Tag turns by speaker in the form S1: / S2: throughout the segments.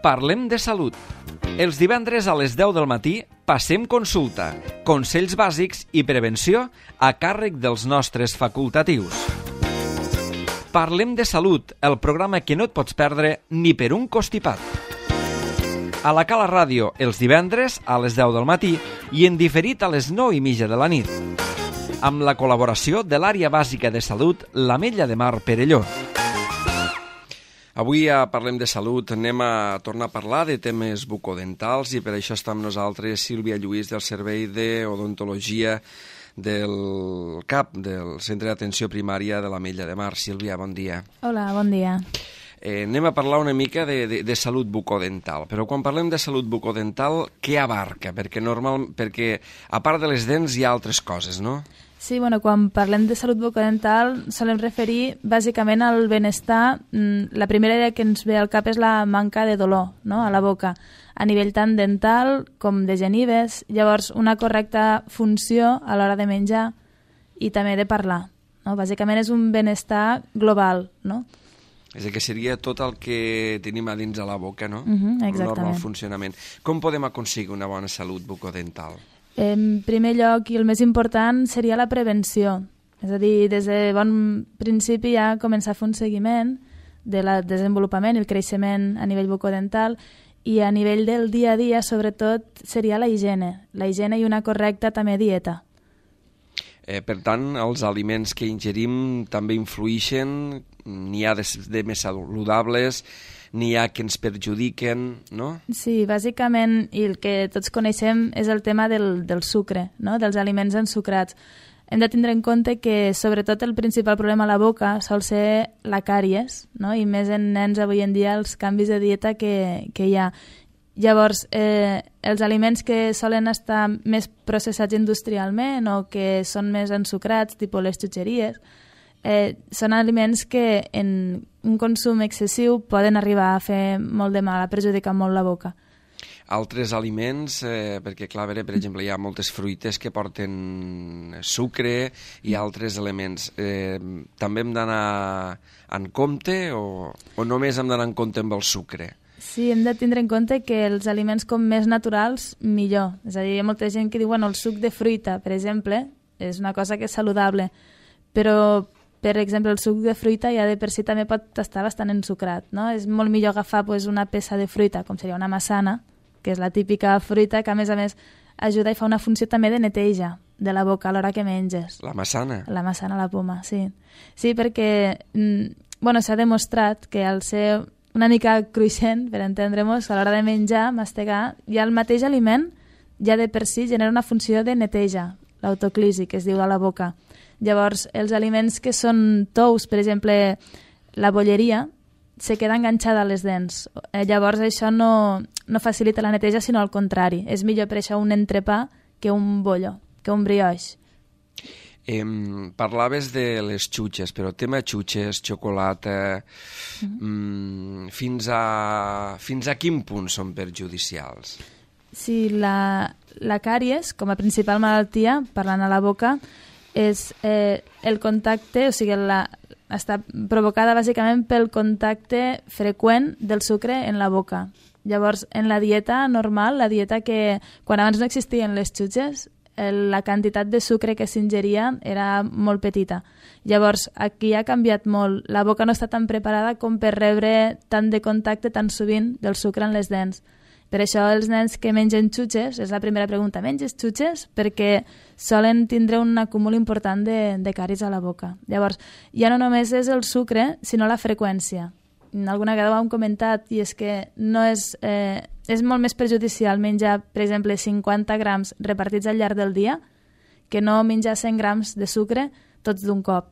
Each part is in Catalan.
S1: Parlem de salut. Els divendres a les 10 del matí passem consulta, consells bàsics i prevenció a càrrec dels nostres facultatius. Parlem de salut, el programa que no et pots perdre ni per un costipat. A la Cala Ràdio, els divendres a les 10 del matí i en diferit a les 9:30 de la nit. Amb la col·laboració de l'Àrea Bàsica de Salut, l'Ametlla de Mar Perelló. Avui Parlem de Salut, anem a tornar a parlar de temes bucodentals i per això està amb nosaltres Sílvia Lluís del Servei d'Odontologia del CAP, del Centre d'Atenció Primària de l'Ametlla de Mar. Sílvia, bon dia.
S2: Hola, bon dia.
S1: Anem a parlar una mica de salut bucodental, però quan parlem de salut bucodental, què abarca? Perquè a part de les dents hi ha altres coses, no?
S2: Sí, quan parlem de salut bucodental solem referir bàsicament al benestar. La primera idea que ens ve al cap és la manca de dolor, no?, a la boca, a nivell tant dental com de genives. Llavors, una correcta funció a l'hora de menjar i també de parlar, no? Bàsicament és un benestar global, no?
S1: És a dir, que seria tot el que tenim a dins de la boca, no?
S2: Exactament.
S1: Un normal funcionament. Com podem aconseguir una bona salut bucodental?
S2: En primer lloc, i el més important, seria la prevenció. És a dir, des de bon principi ja començar a fer un seguiment del desenvolupament i el creixement a nivell bucodental, i a nivell del dia a dia, sobretot, seria la higiene i una correcta també dieta.
S1: Per tant, els aliments que ingerim també influïxen, n'hi ha de més saludables, n'hi ha que ens perjudiquen, no?
S2: Sí, bàsicament, i el que tots coneixem és el tema del sucre, no?, dels aliments ensucrats. Hem de tindre en compte que, sobretot, el principal problema a la boca sol ser la càries, no?, i més en nens avui en dia els canvis de dieta que hi ha. Llavors, els aliments que solen estar més processats industrialment o que són més ensucrats, tipus les xutxeries, són aliments que en un consum excessiu poden arribar a fer molt de mal, a perjudicar molt la boca.
S1: Altres aliments, perquè clar, per exemple, hi ha moltes fruites que porten sucre i altres elements. També hem d'anar en compte o només hem d'anar en compte amb el sucre?
S2: Sí, hem de tindre en compte que els aliments com més naturals, millor. És a dir, hi ha molta gent que diu, el suc de fruita, per exemple, és una cosa que és saludable, però per exemple, el suc de fruita ja de per si també pot estar bastant ensucrat, no? És molt millor agafar una peça de fruita, com seria una maçana, que és la típica fruita que a més ajuda i fa una funció també de neteja de la boca a l'hora que menges.
S1: La maçana? La
S2: maçana, la poma, sí. Sí, perquè s'ha demostrat que al ser una mica cruixent, per entendre-nos, a l'hora de menjar, mastegar, ja el mateix aliment ja de per si genera una funció de neteja, l'autoclisi, que es diu a la boca. Llavors, els aliments que són tous, per exemple, la bolleria, se queda enganxada a les dents. Llavors, això no facilita la neteja, sinó al contrari. És millor per això un entrepà que un bollo, que un brioix.
S1: Parlaves de les xutxes, però tema xutxes, xocolata, fins a quin punt són perjudicials?
S2: Sí, la càries, com a principal malaltia, parlant a la boca, és el contacte, o sigui, està provocada bàsicament pel contacte freqüent del sucre en la boca. Llavors, en la dieta normal, la dieta que quan abans no existien les xutxes, la quantitat de sucre que s'ingeria era molt petita. Llavors, aquí ha canviat molt. La boca no està tan preparada com per rebre tant de contacte tan sovint del sucre en les dents. Per això els nens que mengen xutxes, és la primera pregunta, menges xutxes? Perquè solen tindre un acúmul important de càries a la boca. Llavors, ja no només és el sucre, sinó la freqüència. Alguna vegada ho hem comentat, i és que és molt més perjudicial menjar, per exemple, 50 grams repartits al llarg del dia que no menjar 100 grams de sucre tots d'un cop.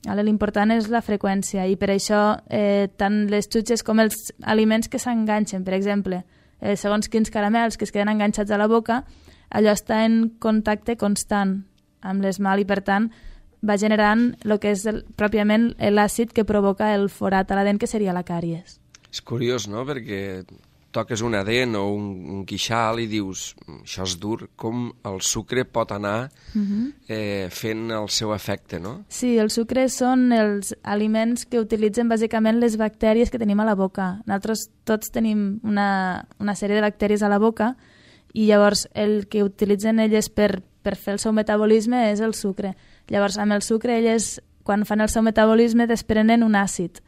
S2: L'important és la freqüència, i per això tant les xutxes com els aliments que s'enganxen, per exemple, segons quins caramels que es queden enganxats a la boca, allò està en contacte constant amb l'esmalt i, per tant, va generant el que és pròpiament l'àcid que provoca el forat a la dent, que seria la càries.
S1: És curiós, no?, perquè
S3: toques una dent o un queixal i dius, això és dur, com el sucre pot anar fent el seu efecte, no?
S2: Sí, el sucre són els aliments que utilitzen bàsicament les bactèries que tenim a la boca. Nosaltres tots tenim una sèrie de bactèries a la boca i llavors el que utilitzen elles per fer el seu metabolisme és el sucre. Llavors, amb el sucre, elles, quan fan el seu metabolisme, desprenen un àcid.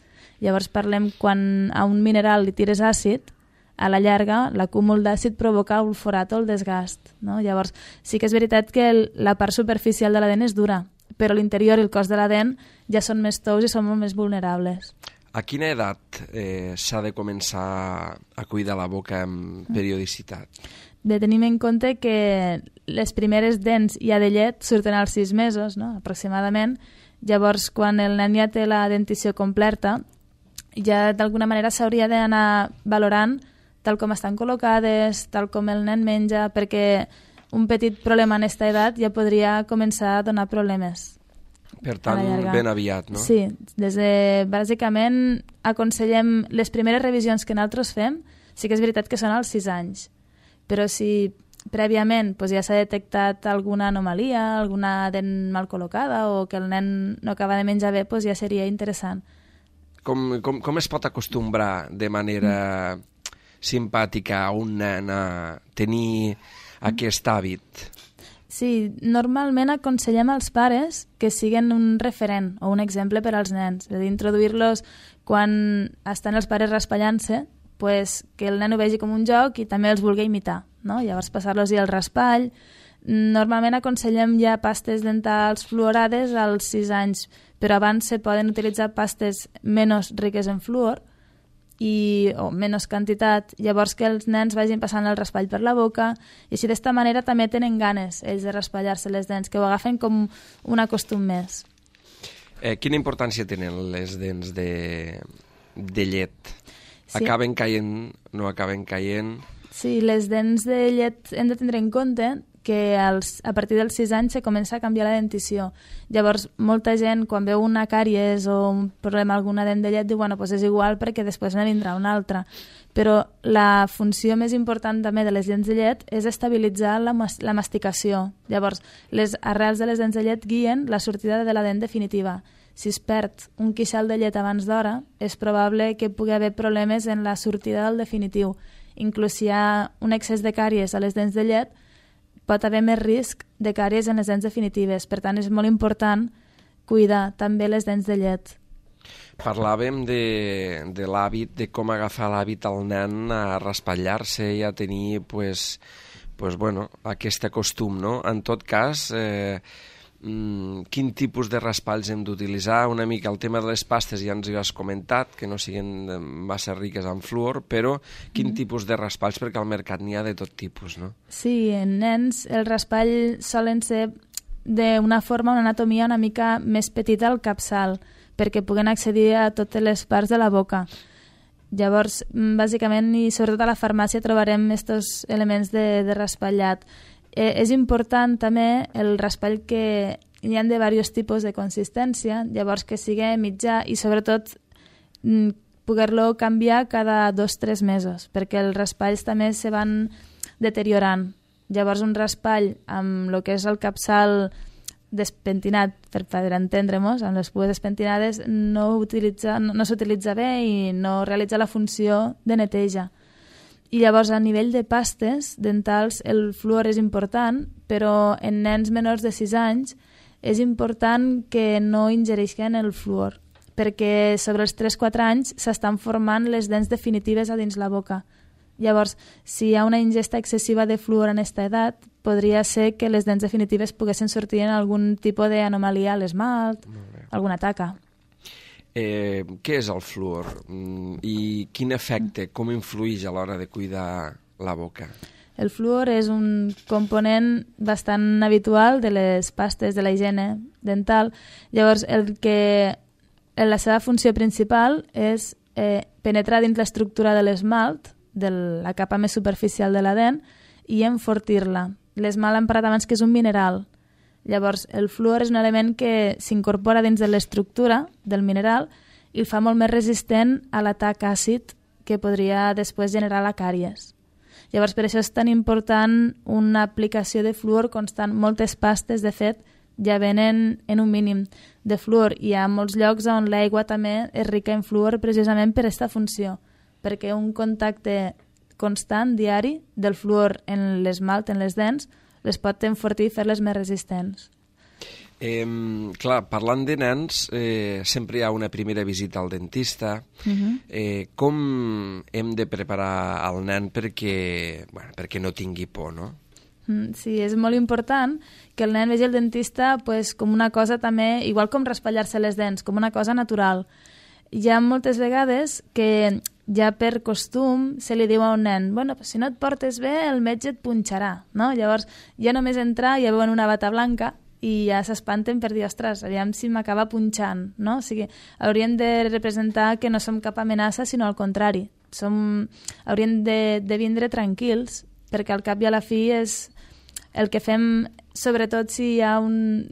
S2: Llavors parlem quan a un mineral li tires àcid, a la llarga l'acúmul d'àcid provoca el forat o el desgast. No? Llavors sí que és veritat que la part superficial de la dent és dura, però l'interior i el cos de la dent ja són més tous i són molt més vulnerables.
S3: A quina edat s'ha de començar a cuidar la boca amb periodicitat?
S2: Tenim en compte que les primeres dents ja de llet surten als 6 mesos, no? Aproximadament. Llavors, quan el nen ja té la dentició completa, ja d'alguna manera s'hauria d'anar valorant tal com estan col·locades, tal com el nen menja, perquè un petit problema en aquesta edat ja podria començar a donar problemes.
S3: Per tant, ben aviat, no?
S2: Sí, bàsicament aconsellem les primeres revisions que nosaltres fem, sí que és veritat que són als 6 anys, però si prèviament ja s'ha detectat alguna anomalia, alguna dent mal col·locada o que el nen no acaba de menjar bé, ja seria interessant.
S3: Com es pot acostumbrar de manera simpàtica a un nen a tenir aquest hàbit?
S2: Sí, normalment aconsellem als pares que siguin un referent o un exemple per als nens. És a dir, introduir-los quan estan els pares raspallant-se, que el nen ho vegi com un joc i també els vulgui imitar. No? Llavors passar-los-hi el raspall. Normalment aconsellem ja pastes dentals fluorades als 6 anys, però abans se poden utilitzar pastes menys riques en fluor o menys quantitat, llavors que els nens vagin passant el raspall per la boca i així d'esta manera també tenen ganes ells de raspallar-se les dents, que ho agafen com un acostum més.
S3: Quina importància tenen les dents de llet?
S2: Sí.
S3: Acaben caient, no acaben caient?
S2: Sí, les dents de llet hem de tindre en compte que a partir dels 6 anys se comença a canviar la dentició. Llavors, molta gent, quan veu una càries o un problema, alguna dent de llet, diu, bueno, és igual perquè després ne vindrà una altra. Però la funció més important també de les dents de llet és estabilitzar la masticació. Llavors, les arrels de les dents de llet guien la sortida de la dent definitiva. Si es perd un queixal de llet abans d'hora, és probable que pugui haver problemes en la sortida del definitiu. Inclús si hi ha un excés de càries a les dents de llet, pot haver més risc de càries en les dents definitives. Per tant, és molt important cuidar també les dents de llet.
S3: Parlàvem de l'hàbit, de com agafar l'hàbit al nen a raspallar-se i a tenir aquest costum, no? En tot cas, quin tipus de raspalls hem d'utilitzar? Una mica el tema de les pastes ja ens ho has comentat, que no siguin massa riques en fluor, però quin tipus de raspalls? Perquè al mercat n'hi ha de tot tipus, no?
S2: Sí, en nens el raspall solen ser d'una forma, una anatomia una mica més petita al capçal, perquè puguen accedir a totes les parts de la boca. Llavors, bàsicament, i sobretot a la farmàcia trobarem aquests elements de raspallat. És important també el raspall que hi ha de diversos tipus de consistència, llavors que sigui mitjà i sobretot poder-lo canviar cada 2-3 mesos, perquè els raspalls també se van deteriorant. Llavors un raspall amb el que és el capçal despentinat, per entendre-nos, amb les pues despentinades, no s'utilitza bé i no realitza la funció de neteja. I llavors, a nivell de pastes dentals, el fluor és important, però en nens menors de 6 anys és important que no ingereixin el fluor, perquè sobre els 3-4 anys s'estan formant les dents definitives a dins la boca. Llavors, si hi ha una ingesta excessiva de fluor en aquesta edat, podria ser que les dents definitives poguessin sortir en algun tipus d'anomalia a l'esmalt, alguna taca.
S3: Què és el fluor i quin efecte, com influeix a l'hora de cuidar la boca?
S2: El fluor és un component bastant habitual de les pastes de la higiene dental. Llavors, la seva funció principal és penetrar dins l'estructura de l'esmalt, de la capa més superficial de la dent, i enfortir-la. L'esmalt hem parlat abans que és un mineral. Llavors, el fluor és un element que s'incorpora dins de l'estructura del mineral i el fa molt més resistent a l'atac àcid que podria després generar la càries. Llavors, per això és tan important una aplicació de fluor constant. Moltes pastes, de fet, ja venen en un mínim de fluor. Hi ha molts llocs on l'aigua també és rica en fluor precisament per aquesta funció, perquè un contacte constant, diari, del fluor en l'esmalt, en les dents, les pot enfortir i fer-les més resistents.
S3: Clar, parlant de nens, sempre hi ha una primera visita al dentista. Com hem de preparar el nen perquè no tingui por, no?
S2: Sí, és molt important que el nen vegi el dentista com una cosa també, igual com raspallar-se les dents, com una cosa natural. Hi ha moltes vegades que ja per costum se li diu a un nen si no et portes bé el metge et punxarà, no? Llavors ja només entrar ja veuen una bata blanca i ja s'espanten per dir, ostres, aviam si m'acaba punxant, no? O sigui, hauríem de representar que no som cap amenaça, sinó al contrari. Hauríem de vindre tranquils, perquè al cap i a la fi és el que fem, sobretot si hi ha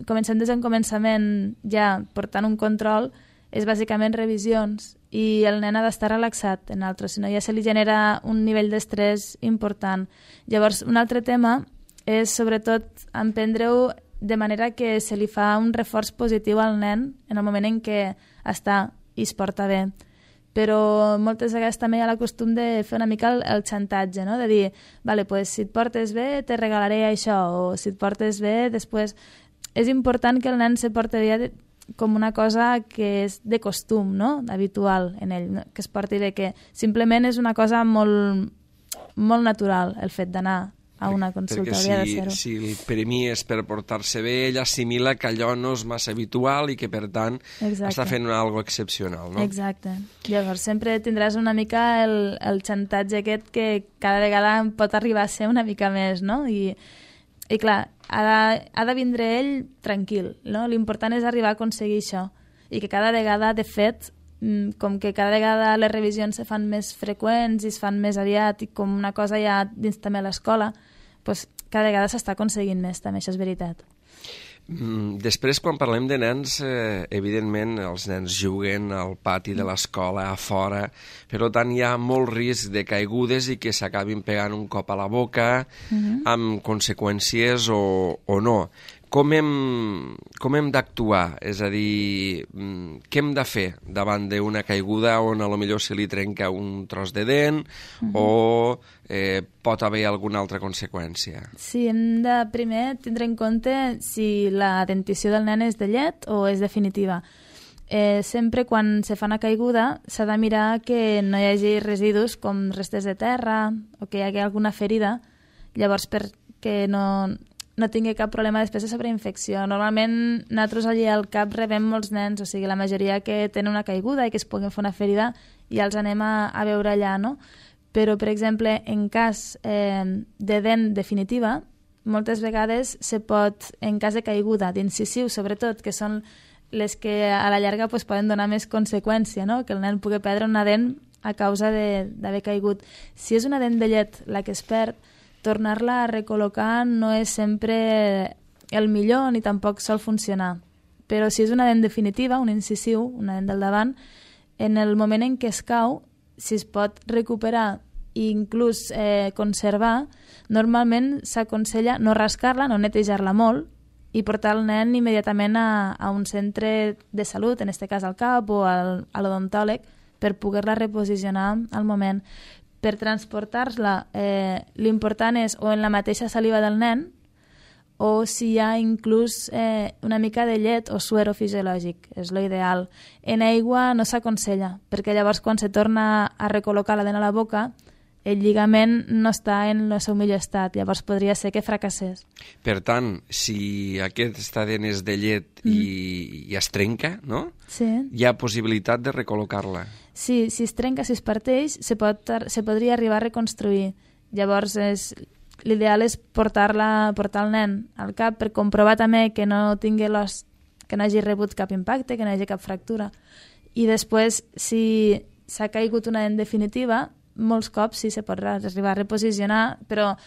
S2: comencem des d'un començament ja portant un control, és bàsicament revisions, i el nen ha d'estar relaxat en altres, si no ja se li genera un nivell d'estrès important. Llavors, un altre tema és sobretot emprendre-ho de manera que se li fa un reforç positiu al nen en el moment en què està i es porta bé. Però moltes vegades també hi ha la costum de fer una mica el xantatge, no? De dir, vale, pues, si et portes bé te regalaré això, o si et portes bé després... És important que el nen se porti bé com una cosa que és de costum, no? Habitual en ell, no? Que es porti bé, que simplement és una cosa molt, molt natural el fet d'anar a una consulta, hauria de ser-ho.
S3: Si el premies per portar-se bé, ell assimila que allò no és massa habitual i que, per tant, està fent algo excepcional, no?
S2: Exacte. Llavors, sempre tindràs una mica el xantatge aquest que cada vegada pot arribar a ser una mica més, no? I clar, ha de vindre ell tranquil, no? L'important és arribar a aconseguir això i que cada vegada, de fet, com que cada vegada les revisions se fan més freqüents i es fan més aviat i com una cosa ja dins també a l'escola, doncs cada vegada s'està aconseguint més, també, això és veritat.
S3: Després, quan parlem de nens, evidentment els nens juguen al pati de l'escola, a fora, per tant hi ha molt risc de caigudes i que s'acabin pegant un cop a la boca, amb conseqüències o no. Com hem d'actuar? És a dir, què hem de fer davant d'una caiguda on potser se li trenca un tros de dent o pot haver alguna altra conseqüència?
S2: Sí, hem de primer tindre en compte si la dentició del nen és de llet o és definitiva. Sempre quan se fa una caiguda s'ha de mirar que no hi hagi residus com restes de terra o que hi hagi alguna ferida, llavors perquè no tingui cap problema després de sobreinfecció. Normalment nosaltres allí al CAP rebem molts nens, o sigui, la majoria que tenen una caiguda i que es puguin fer una ferida i els anem a veure allà, no? Però, per exemple, en cas de dent definitiva, moltes vegades se pot, en cas de caiguda, d'incisiu sobretot, que són les que a la llarga poden donar més conseqüència, no? Que el nen pugui perdre una dent a causa d'haver caigut. Si és una dent de llet la que es perd, tornar-la a recol·locar no és sempre el millor ni tampoc sol funcionar. Però si és una dent definitiva, un incisiu, una dent del davant, en el moment en què es cau, si es pot recuperar i inclús conservar, normalment s'aconsella no rascar-la, no netejar-la molt i portar el nen immediatament a un centre de salut, en aquest cas al CAP o a l'odontòleg, per poder-la reposicionar al moment. Per transportar-la, l'important és o en la mateixa saliva del nen o si hi ha inclús una mica de llet o suero fisiològic, és l'ideal. En aigua no s'aconsella, perquè llavors quan se torna a recol·locar la dent a la boca, el lligament no està en el seu millor estat, llavors podria ser que fracassés.
S3: Per tant, si aquesta dent és de llet i es trenca, no?
S2: Sí.
S3: Hi ha possibilitat de recol·locar-la.
S2: Sí, si es trenca, si es parteix, se podria arribar a reconstruir. Llavors, l'ideal és portar el nen al CAP per comprovar també que no tingui l'os, que no hagi rebut cap impacte, que no hagi cap fractura. I després, si s'ha caigut una dent definitiva, molts cops sí se pot arribar a reposicionar, però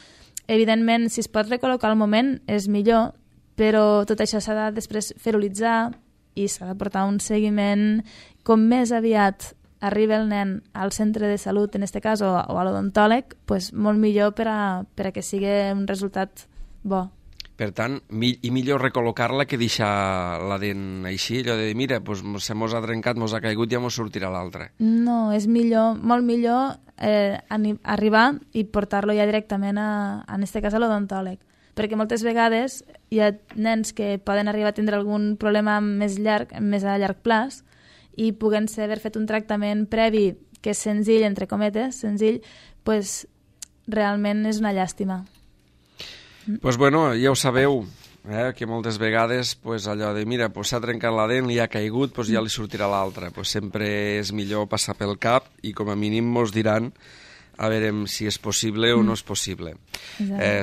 S2: evidentment si es pot recol·locar al moment és millor, però tot això s'ha de després ferolitzar i s'ha de portar un seguiment com més aviat arriba el nen al centre de salut, en aquest cas, o a l'odontòleg, pues, molt millor per a que sigui un resultat bo.
S3: Per tant, i millor recol·locar-la que deixar la dent així, allò de dir, mira, se mos ha trencat, mos ha caigut, ja mos sortirà l'altra.
S2: No, és millor, molt millor arribar i portar-lo ja directament, en aquest cas, a l'odontòleg. Perquè moltes vegades hi ha nens que poden arribar a tindre algun problema més a llarg plaç i puguent-se haver fet un tractament previ que és senzill, entre cometes, senzill, pues, realment és una llàstima.
S3: Doncs bueno, ja ho sabeu, que moltes vegades allò de, mira, s'ha trencat la dent, li ha caigut, ja li sortirà l'altra. Sempre és millor passar pel cap i com a mínim mos diran a veure si és possible o no és possible.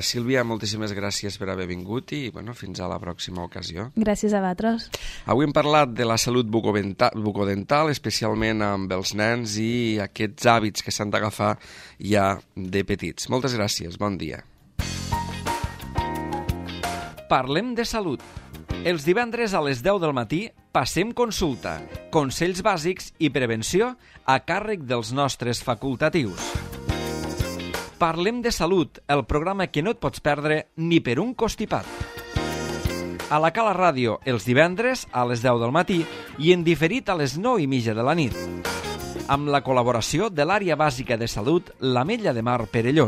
S3: Sílvia, moltíssimes gràcies per haver vingut i fins a la pròxima ocasió.
S2: Gràcies a vosaltres.
S3: Avui hem parlat de la salut bucodental, especialment amb els nens i aquests hàbits que s'han d'agafar ja de petits. Moltes gràcies, bon dia.
S1: Parlem de salut. Els divendres a les 10 del matí passem consulta, consells bàsics i prevenció a càrrec dels nostres facultatius. Parlem de salut, el programa que no et pots perdre ni per un costipat. A la Cala Ràdio, els divendres a les 10 del matí i en diferit a les 9:30 de la nit. Amb la col·laboració de l'Àrea Bàsica de Salut, l'Ametlla de Mar Perelló.